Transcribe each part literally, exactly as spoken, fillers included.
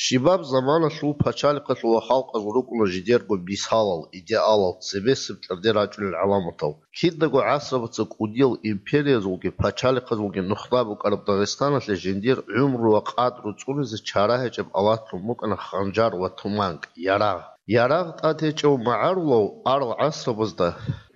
Щибаб заманалъул пачалихъалъул ва халкъазул рукӀуна жидерго мисалал, идеалал, цебесеб тӀаде рачӀунел гӀаламатал. Кидаго гӀасрабаца кӀудиял империязулги пачалихъазулги нухда букӀараб Дагъистаналъе жиндир гӀумру ва къадру цӀунизе чара гьечӀеб алатлъун букӀана ханжар ва туманг, ярагъ. Ярагъ тӀад гьечӀев магӀарулав арал гӀасрабазда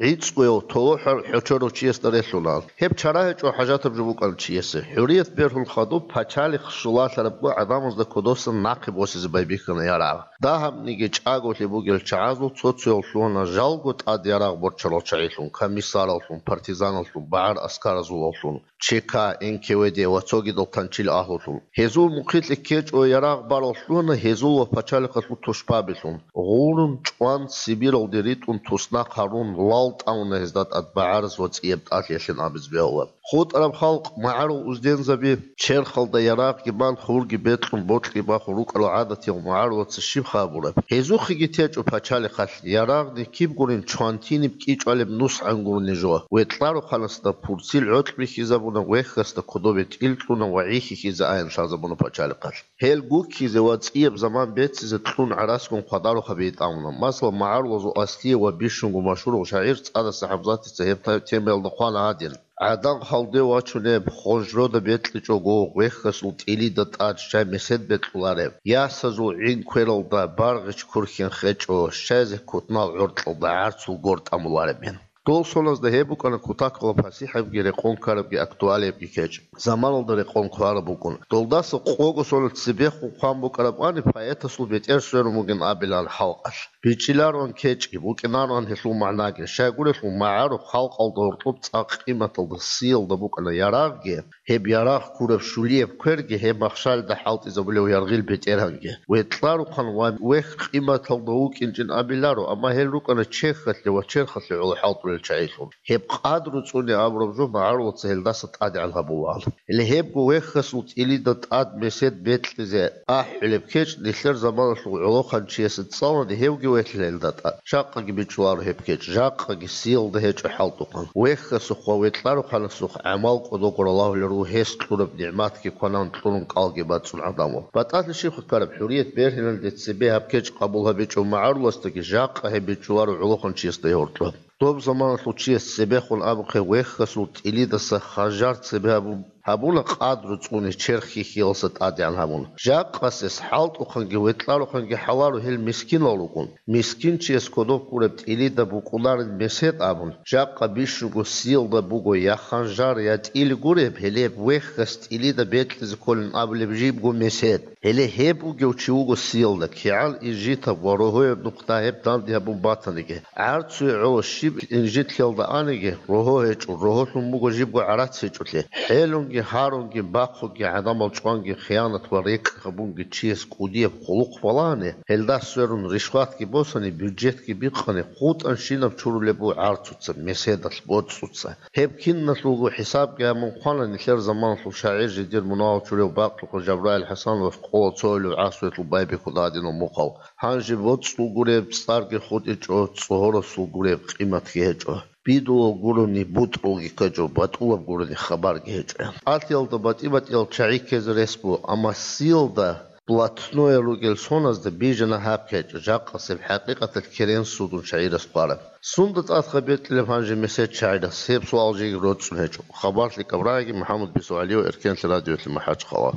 гӀицӀкӀуяв толохӀар хӀочорав чиясда релълъунаан. Гьеб чара гьечӀо хӀажатаб жо букӀана чиясе. ХӀурият бергьун хадуб пачалихъ щулалъарабго гӀадамазда кодосан нахъе босизе байбихьана ярагъ. Дагьабниги чӀаголъи бугел чагӀазул цо-цояв лъугьана жалго тӀад ярагъ борчарал чагӀилъун, комиссараллъун, партизаналлъун, багӀар-аскаразулаллъун, Ч К, Н К В Д ва цогидал танчил агьлулъун. Гьезул мухъилъе ккечӀо ярагъ барал лъугьана гьезул ва пачалихъалъул тушбабилъун. Гъурун чӀван Сибиралде ритӀун туснахъ гьарун лал тӀамуна гьезда тӀад багӀараз ва цӀияб тӀалъиялъин абиз бегьула. ХутӀараб халкъ магӀарул уздензаби черхалда ярагъги бан, хурги бекьун, бокьги бахун рукӀарал гӀадатиял магӀарулаца щиб хабураб? Гьезухъеги течӀо пачалихъалъ ярагъни киб гурин чвантиниб кӀичӀвалеб нусгӀан гурони жо. Ветларухъанасда пурцил гӀоркь бихьизабуна, вехьасда кодобе тӀил кьуна ва гӀихьихьизе аян лъазабуна пачалихъалъ. Гьел гуккизе ва цӀияб заман беццизе кьун гӀараскун хъвадарухъаби тӀамуна. Масала, магӀарулазул аслие ва бищунго машгьурав шагӀир ЦӀадаса ХӀамзатица гьеб та-, темаялда хъвана гьадин: «ГӀадан халде вачунеб, хонжрода бекьичӀого, вехьасул тӀилида тӀад щай месед бекьулареб, ясазул гӀин квералда баргъич курхьин хечӀо, щай зеккутнал гӀоркьалда гӀарцул гор тӀамуларебин». Дол соназда гьеб букӀана кутакалаб пасихӀабги рекъон ккарабги актуалиябги кечӀ. Заманалда рекъон ккараб букӀун. Долдаса къого соналъ цебехун хъван букӀарабани поэтасул бетӀер сверун бугин абилан халкъалъ. БичӀчӀилароан кечӀги, букӀинароан гьелъул магӀнаги. Щайгурелъул магӀарухъ халкъалда гьоркьоб цӀакъ къиматалда, сиялда букӀана ярагъги, гьеб ярагъ ккураб щулияб кверги, гьеб махщалда хӀалтӀизабулев яргъил бетӀергьанги. Ветларухъан ва вехь къиматалда вукӀинчӀин абиларо, амма гьел рукӀана чехьалъе ва черхалъе гӀоло хӀалтӀулел чагӀилъун. Гьеб къадру цӀуне абураб жо магӀарулаца гьелдаса тӀадегӀан гьабулаан. Гьеле гьебго вехьасул тӀилида тӀад месед бекьизе ахӀулеб кечӀ нилъер заманалъул гӀолохъанчиясе цӀалани гьевги вехьила гьелда тӀад. Жакъаги бичӀчӀуларо гьеб кечӀ, жакъаги сиялда гьечӀо хӀалтӀухъан. Вехьасухъ ва ветларухъанасухъ гӀамал кӀодого ралагьулел руго гьес кьураб нигӀматги кванан кьурун кӀалги бацӀцӀун гӀадамал. БатӀалъи щиб хъвараб, хӀурият бергьиналде цебе гьаб кечӀ къабул гьабичӀев магӀаруласдаги жакъа гьеб бичӀчӀуларо гӀолохъанчиясда гьоркьоб. Доб заманалъул чияс цебехун абухъе вехьасул тӀилидаса ханжар цебе гьабун, гьабуна къадру цӀуне черх хьихьиялса тӀадегӀан гьабун. Жакъасес хӀалтӀухъанги ветларухъанги хӀаларо гьел мискинал ругун. Мискинчияс кодоб ккураб тӀилида букӀунарин месед абун, жакъа бищунго сиялда буго я ханжар, я тӀил гуреб, гьеле вехьас тӀилида бекьизе кколин абулеб жибго месед. Гьеле гьеб бугев чи вуго сиялда, кигӀан инжитаб ва рогьояб нухда гьеб данде гьабун батаниги, гӀарцуе гӀоло щиб инжитлъиялда аниги, рогьо гьечӀо, рогьолъун буго жибго гӀарац гьечӀолъи. ХӀелунги, гьарунги, бахъуги, гӀадамал чӀванги, хиянат ва рекӀкӀ гьабунги чияс кӀудияб хъулухъ балагьани, гьелда сверун ришватги босани, бюджетги бикъани, хутӀанщинаб чурулеб буго гӀарцуца, меседалъ, боцӀуца. Гьеб киналъулго хӀисабги гьабун хъвана нилъер заманалъул шагӀир, жидер мунагьал чурав бакьулъа Жабраил ХӀасановас къола цоюлев гӀасуялъул байбихьуда гьадинав мухъав. Гьанже боцӀул гуреб цӀарги хутӀичӀо, цӀогьорасул гуреб къиматги гьечӀо. Бидулал гурони бутӀрулги ккечӀо, батӀулаб гурони хабарги гьечӀо. ТӀалъиялда батӀи-батӀиял чагӀи ккезе рес буго, амма сиялда блатное ругел соназда бижана гьаб кечӀ, жакъасеб хӀакъикъаталъ керен судун шагӀирас хъвараб. Сунда тӀадха бекьилеб гьанже месед шагӀирас? Гьеб суал жеги роцӀцӀун гьечӀо. Хабарлъи Кабрагиги, МухӀаммад Бисугьалиев, Эркенлъи радиоялъе МахӀачхъала.